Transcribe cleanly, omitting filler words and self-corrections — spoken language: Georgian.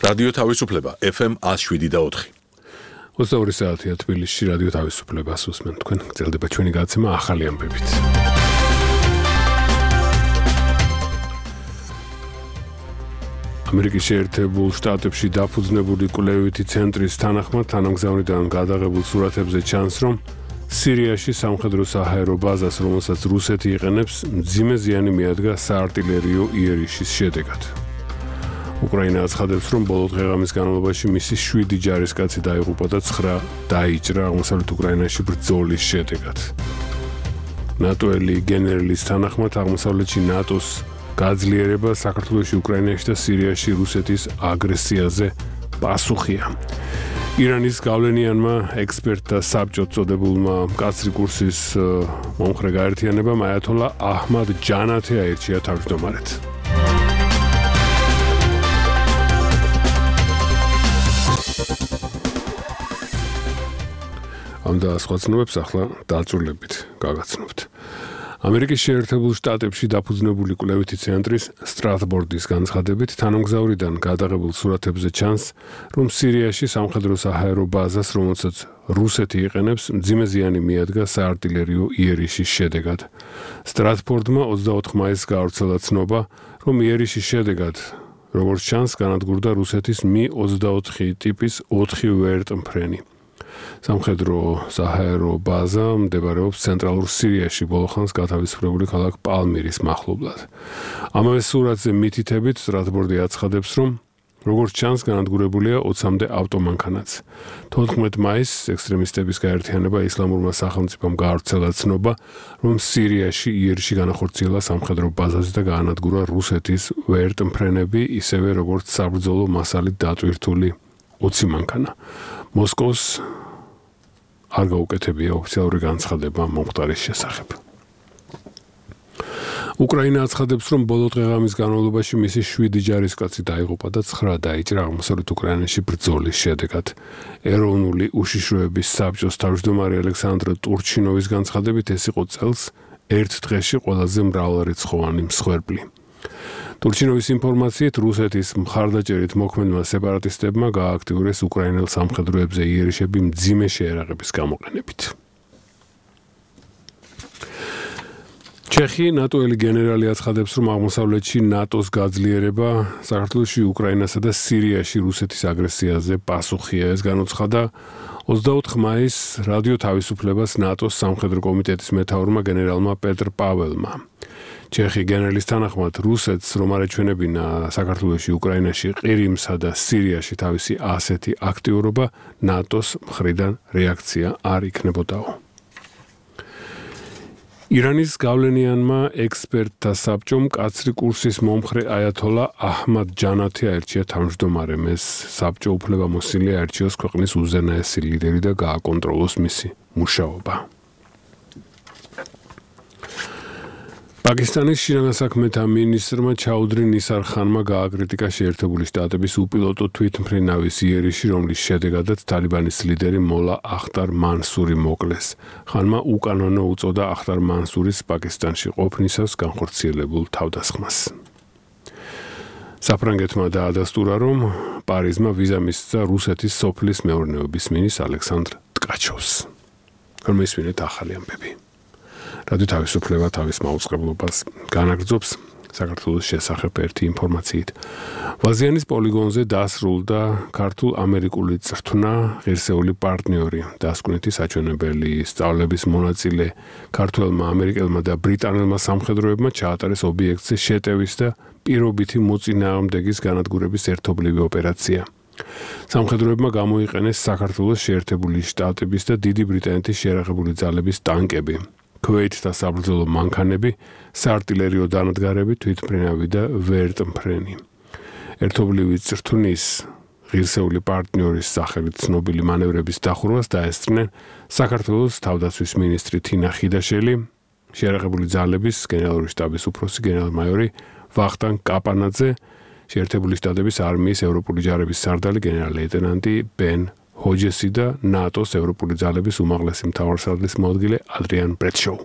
რადიო თავისუფლება FM 107.4. 22 საათია თბილისში რადიო თავისუფლებას უსმენთ თქვენ. გრძელდება ჩვენი გადაცემა ახალი ამბებით. ამერიკის შეერთებულ შტატებში დაფუძნებული კვლევითი ცენტრის თანახმად თანამგზავრიდან გადაღებულ სურათებზე ჩანს, რომ სირიაში სამხედრო-საჰაერო ბაზას, რომელსაც რუსეთი იყენებს, მძიმე ზიანი მიადგა საარტილერიო იერიშის შედეგად. უკრაინა აცხადებს, რომ ბოლო დღეღამის განმავლობაში მისი 7 ჯარისკაცი დაიღუპა და 9 დაიჭრა აღმოსავლეთ უკრაინაში ბრძოლის შედეგად. ნატოელი გენერლის თანახმად აღმოსავლეთში ნატოს გაძლიერება საქართველოში, უკრაინაში და სირიაში რუსეთის აგრესიაზე პასუხია. ირანის გავლენიანმა ექსპერტთა საბჭოს წოდებულმა მკაცრი კურსის მომხრე გაერთიანებამ აიათოლა აჰმად ჯანათი აირჩია თავმჯდომარედ. ამ და სხვა ცნობებს ახლა დაწვრილებით გაგაცნობთ. ამერიკის შეერთებულ შტატებში დაფუძნებული კვლევითი ცენტრის სტრატბორდის განცხადებით თანამგზავრიდან გადაღებულ სურათებზე ჩანს, რომ სირიაში სამხედრო-საჰაერო ბაზას, რომელსაც რუსეთი იყენებს, მძიმე ზიანი მიადგა საარტილერიო იერიშის შედეგად. სტრატბორდმა 24 მაისს გაავრცელა ცნობა, რომ იერიშის შედეგად, როგორც ჩანს, განადგურდა რუსეთის Mi-24 ტიპის 4 ვერტმფრენი. სამხედრო-საჰაერო ბაზა მდებარეობს ცენტრალურ სირიაში, ბოლოხანს გათავისუფლებული ქალაქ პალმირის მახლობლად. ამავე სურათზე მითითებით სტრატბორდი აცხადებს, რომ როგორც ჩანს, განადგურებულია 20-მდე ავტომანქანაც. 14 მაისს ექსტრემისტების გაერთიანება ისლამურმა სახელმწიფომ გაავრცელა ცნობა, რომ სირიაში იერში განახორციელა სამხედრო ბაზაზე და გაანადგურა რუსეთის ვერტმფრენები, ისევე როგორც საბრძოლო მასალით დატვირთული 20 მანქანა. მოსკოვს არ გაუკეთებია ოფიციალური განცხადება მომხდარის შესახებ. უკრაინა აცხადებს, რომ ბოლო დღეღამის განმავლობაში მისი 7 ჯარისკაცი დაიღუპა და 9 დაიჭრა აღმოსავლეთ უკრაინაში ბრძოლის შედეგად. ეროვნული უშიშროების საბჭოს თავმჯდომარე ალექსანდრ ტურჩინოვის განცხადებით, ეს იყო წელს ერთ დღეში ყველაზე მრავალრიცხოვანი მსხვერპლი. ტურჩინოვის ინფორმაციით, რუსეთის მხარდაჭერით მოქმედმა სეპარატისტებმა გაააქტიურეს უკრაინელ სამხედროებზე იერიშები მძიმე შეერაღების გამოყენებით. ჩეხი ნატოელი გენერალი აცხადებს, რომ აღმოსავლეთში ნატოს გაძლიერება საქართველოში, უკრაინასა და სირიაში რუსეთის აგრესიაზე პასუხია. ეს განუცხადა 24 მაისს რადიო თავისუფლებას ნატოს სამხედრო კომიტეტის მეთაურმა გენერალმა პეტრ პაველმა. ჩეხი გენერლის თანახმად, რუსეთს რომ არ ეჩვენებინა საქართველოში, უკრაინაში, ყირიმსა და სირიაში თავისი ასეთი აქტიურობა, ნატოს მხრიდან რეაქცია არ იქნებოდაო. ირანის გავლენიანმა ექსპერტთა საბჭომ მკაცრი კურსის მომხრე აიათოლა აჰმად ჯანათი აირჩია თავმჯდომარემ. ეს საბჭო უფლებამოსილი აირჩიოს ქვეყნის უზენაესი ლიდერი და გააკონტროლოს მისი მუშაობა. პაკისტანის შინაგანსაქმეთა მინისტრმა ჩაუდრი ნისარ ხანმა გააკრიტიკა შეერთებული შტატების უპილოტო თვითმფრინავის იერიში, რომლის შედეგადაც თალიბანის ლიდერი მოლა ახტარ მანსური მოკლეს. ხანმა უკანონო უწოდა ახტარ მანსურის პაკისტანში ყოფნისას განხორციელებულ თავდასხმას. საფრანგეთმა დაადასტურა, რომ პარიზმა ვიზა მისცა რუსეთის სოფლის მეურნეობის მინისტრ ალექსანდრ ტკაჩოვს. რომისმინეთ ახალი ამბები. რადიო თავისუფლება თავის მაუწყებლობას განაგრძობს საქართველოს შესახებ ერთი ინფორმაციით. ვაზიანის პოლიგონზე დასრულდა ქართულ-ამერიკული წრთნა ღირსეული პარტნიორი, დასკვნითი საჩვენებელი სწავლების მონაწილე ქართველმა, ამერიკელმა და ბრიტანელმა სამხედროებმა ჩაატარეს ობიექტზე შეტევის და პირობითი მოწინააღმდეგის განადგურების ერთობლივი ოპერაცია. სამხედროებმა გამოიყენეს საქართველოს შეერთებული შტატების და დიდი ბრიტანეთის შეიარაღებული ძალების ტანკები. ქვეითთა საბრძოლო მანქანები, საარტილერიო დანადგარები, თვითმფრინავი და ვერტმფრენი. ერთობლივი წრთნის ღირსეული პარტნიორის სახელით ცნობილი მანევრების დახურვას დაესწრნენ საქართველოს თავდაცვის მინისტრი თინა ხიდაშელი, შეიარაღებული ძალების გენერალური შტაბის უფროსი გენერალ-მაიორი ვახტანგ კაპანაძე, შეერთებული შტატების არმიის ევროპული ჯარების სარდალი გენერალ-ლეიტენანტი ბენ ჰოჯესი და ნატოს ევროპული ძალების უმაღლესი მთავარსარდლის მოადგილე ადრიან ბრედშოუ.